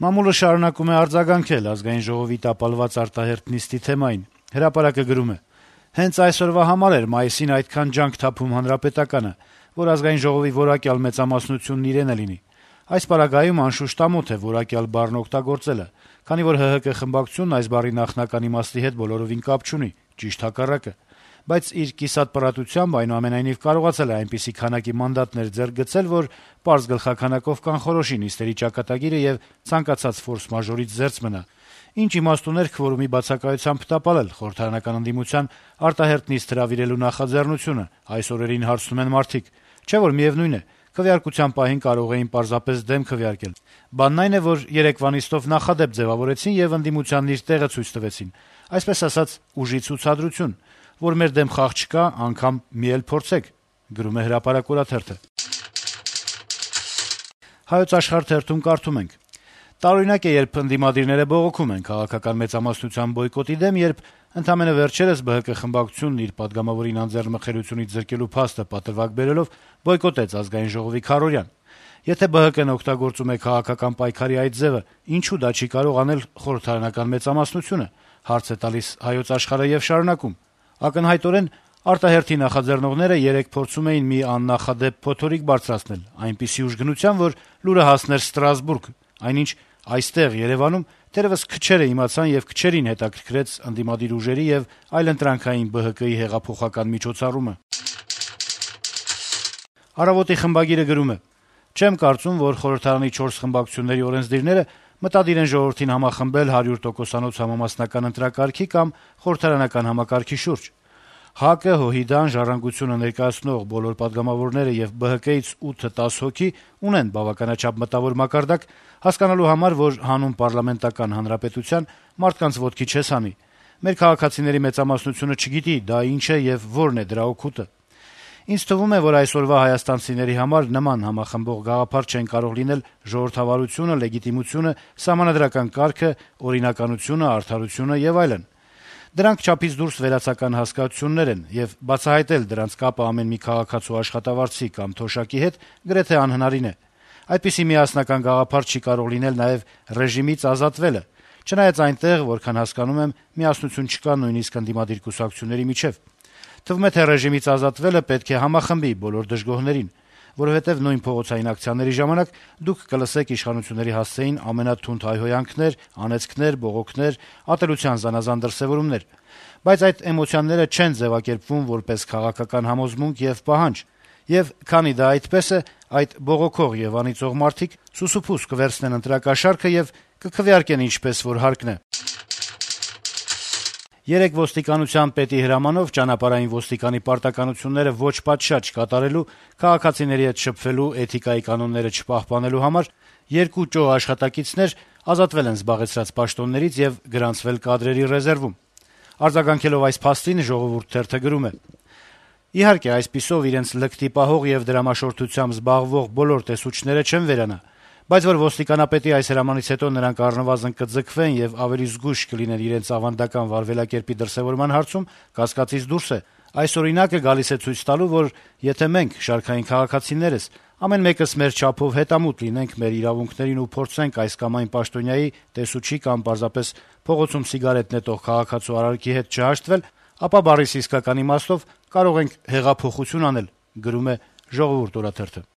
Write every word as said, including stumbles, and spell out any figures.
Մամուլը շարունակում է արձագանքել Ազգային ժողովի տապալված արտահերթ նիստի թեմային։ Հրապարակը գրում է. - «Հենց այսօրվա համար էր մայիսին այդքան ջանք թափում Հանրապետականը, որ Ազգային ժողովի որակյալ մեծամասնությունն իրեն է լինի։ Այս պարագայում անշուշտ ամոթ է որակյալ բառն օգտագործելը, քանի որ ՀՀԿ խմբակցությունն այս բառի նախնական իմաստի հետ բոլորովին կապ չունի, ճիշտ հակառակը։ Բայց իր կիսատ պարատությամբ այնուամենայնիվ կարողացել է այնպիսի քանակի մանդատներ ձեռք գցել, որ պարզ գլխաքանակով կանխորոշի նիստերի ճակատագիրը եւ ցանկացած ֆորս-մաժորից զերծ մնա։ Ինչ իմաստ ուներ քվորումի բացակայությամբ տապալել խորհրդարանական ընդդիմության արտահերթ նիստ հրավիրելու նախաձեռնությունը, այս օրերին հարցնում են մարդիկ։ Չէ՞ որ միեւնույն է, քվեարկության պահին կարող էին պարզապես դեմ քվեարկել։ Բանն այն է, որ երեկվա նիստով նախադեպ ձեւավորեցին եւ ընդդիմությանն իր տեղը ցույց տվեցին, այսպես ասած, ուժի ցուցադրություն, որ մեր դեմ խաղ չկա, անգամ մի էլ փորձեք», գրում է «Հրապարակ» օրաթերթը։ «Հայոց Աշխարհ» թերթում կարդում ենք. - «Տարօրինակ է, երբ ընդդիմադիրները բողոքում են քաղաքական մեծամասնության բոյկոտի դեմ, երբ ընդամենը վերջերս ԲՀԿ խմբակցությունն իր պատգամավորին անձեռնմխելիությունից զրկելու փաստը պատրվակ բերելով բոյկոտեց Ազգային ժողովի քարոզարան։ Եթե ԲՀԿ-ն օգտագործում է քաղաքական պայքարի այդ ձևը, ինչու դա չի կարող անել խորհրդարանական մեծամասնությունը», հարց է տալիս «Հայոց Աշխարհ»-ը եւ շարունակում. - «Ակնհայտորեն արտահերթի նախաձեռնողները երեկ փորձում էին մի աննախադեպ փոթորիկ բարձրացնել, այնպիսի ուժգնության, որ լուրը հասներ Ստրասբուրգ, այնինչ այստեղ Երեւանում թերեւս քչերը իմացան եւ քչերին հետաքրքրեց ընդդիմադիր ուժերի եւ այլընտրանքային ԲՀԿ-ի հեղափոխական միջոցառումը»։ «Առավոտ»-ի խմբագիրը գրում է. - «Չեմ կարծում, որ խորհրդարանի չորս խմբակցությունների օրենսդիրները մտադիր են ժողովրդին համախմբել հարյուր տոկոսանոց համամասնական ընտրակարգի կամ խորհրդարանական համակարգի շուրջ։ ՀԱԿ-ը, ՀՅԴ-ն, «Ժառանգությունը» ներկայացնող բոլոր պատգամավորները եւ ԲՀԿ-ից ութը տասը հոգի ունեն բավականաչափ մտավոր մակարդակ հասկանալու համար, որ հանուն պառլամենտական հանրապետության մարդկանց ոտքի չես հանի։ Մեր քաղաքացիների մեծամասնությունը չգիտի դա ինչ է եւ որն է դրա օգուտը։ Ինձ թվում է, որ այսօրվա հայաստանցիների համար նման համախմբող գաղափար չեն կարող լինել ժողովրդավարությունը, լեգիտիմությունը, սահմանադրական կարգը, օրինականությունը, արդարությունը եւ այլն։ Դրանք չափից դուրս վերացական հասկացություններ են, եւ բացահայտել դրանց կապը ամեն մի քաղաքացու աշխատավարձի կամ թոշակի հետ գրեթե անհնարին է։ Այդպիսի միասնական գաղափար չի կարող լինել նաեւ ռեժիմից ազատվելը, չնայած այնտեղ, որքան հասկանում եմ, միասնություն չկա նույնիսկ ընդդիմադիր կուսակցությունների միջեւ։ Թվում է, թե ռեժիմից ազատվելը պետք է համախմբի բոլոր դժգոհներին, որովհետեւ նույն փողոցային ակցիաների ժամանակ դուք կլսեք իշխանությունների հասցեին ամենաթունդ հայհոյանքներ, անեծքներ, բողոքներ, ատելության զանազան դրսեւորումներ։ Բայց այդ էմոցիաները չեն ձեւակերպվում որպես քաղաքական համոզմունք եւ պահանջ, եւ քանի դա այդպես է, այդ բողոքող եւ անիծող մարդիկ սուսուփուս կվերցնեն ընտրակաշառքը եւ կքվեարկեն ինչպես որ հարկն է»։ Երեկ ոստիկանության պետի հրամանով ճանապարհային ոստիկանի պարտականությունները ոչ պատշաճ կատարելու, քաղաքացիների հետ շփվելու, էթիկայի կանոնները չպահպանելու համար երկու ճող աշխատակիցներ ազատվել են զբաղեցրած պաշտոններից եւ գրանցվել կադրերի ռեզերվում։ Արձագանքելով այս փաստին «Ժողովուրդ» թերթը գրում է. - «Իհարկե, այսպիսով իրենց լկտի պահող եւ դրամաշորթությամբ զբաղվող բոլոր տեսուչները չեն վերանա, բայց որ ոստիկանապետի այս հրամանից հետո նրանք առնվազն կձգվեն եւ ավելի զգույշ կլինեն իրենց ավանդական վարվելակերպի դրսեւորման հարցում, կասկածից դուրս է։ Այս օրինակը գալիս է ցույց տալու, որ եթե մենք, շարքային քաղաքացիներս, ամեն մեկս մեր չափով հետամուտ լինենք մեր իրավունքներին ու փորձենք այս կամ այն պաշտոնյայի, տեսուչի կամ պարզապես փողոցում սիգարետ նետող քաղաքացու արարքի հետ չհաշտվել, ապա բառիս իսկական իմաստով կարող ենք հեղափոխություն անել», գրում է «Ժողովուրդ» օրաթերթը։